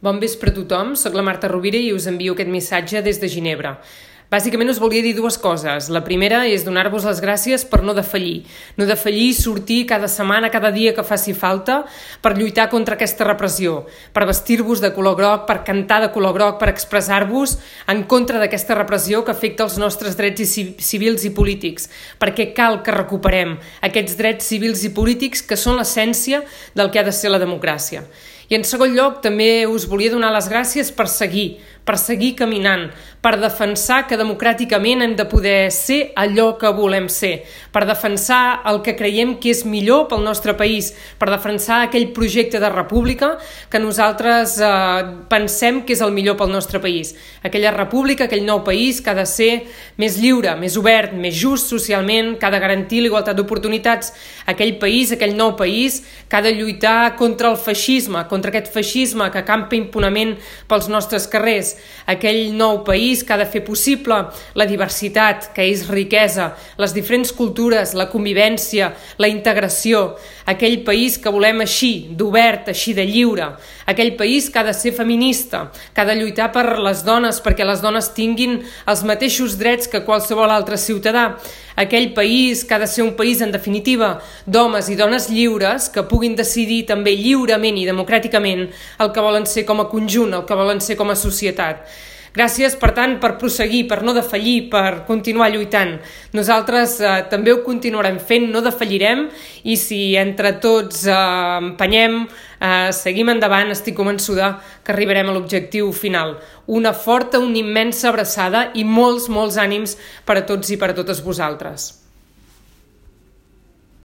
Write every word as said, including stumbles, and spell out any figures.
Bon vespre a tothom, soc la Marta Rovira i us envio aquest missatge des de Ginebra. Bàsicament us volia dir dues coses. La primera és donar-vos les gràcies per no defallir. No defallir i sortir cada setmana, cada dia que faci falta per lluitar contra aquesta repressió, per vestir-vos de color groc, per cantar de color groc, per expressar-vos en contra d'aquesta repressió que afecta els nostres drets civils i polítics, perquè cal que recuperem aquests drets civils i polítics que són l'essència del que ha de ser la democràcia. I en segon lloc, també us volia donar les gràcies per seguir, per seguir caminant, per defensar que democràticament hem de poder ser allò que volem ser, per defensar el que creiem que és millor pel nostre país, per defensar aquell projecte de república que nosaltres eh, pensem que és el millor pel nostre país. Aquella república, aquell nou país que ha de ser més lliure, més obert, més just socialment, que ha de garantir l'igualtat d'oportunitats. Aquell país, aquell nou país que ha de lluitar contra el feixisme, contra aquest feixisme que campa impunement pels nostres carrers. Aquell nou país que ha de fer possible la diversitat, que és riquesa, les diferents cultures, la convivència, la integració. Aquell país que volem així, d'obert, així de lliure. Aquell país que ha de ser feminista, que ha de lluitar per les dones, perquè les dones tinguin els mateixos drets que qualsevol altre ciutadà. Aquell país que ha de ser un país, en definitiva, d'homes i dones lliures que puguin decidir també lliurement i democràticament el que volen ser com a conjunt, el que volen ser com a societat. Gràcies, per tant, per prosseguir, per no defallir, per continuar lluitant. Nosaltres eh, també ho continuarem fent, no defallirem, i si entre tots eh, empenyem, eh, seguim endavant, estic convençuda que arribarem a l'objectiu final. Una forta, una immensa abraçada i molts, molts ànims per a tots i per a totes vosaltres.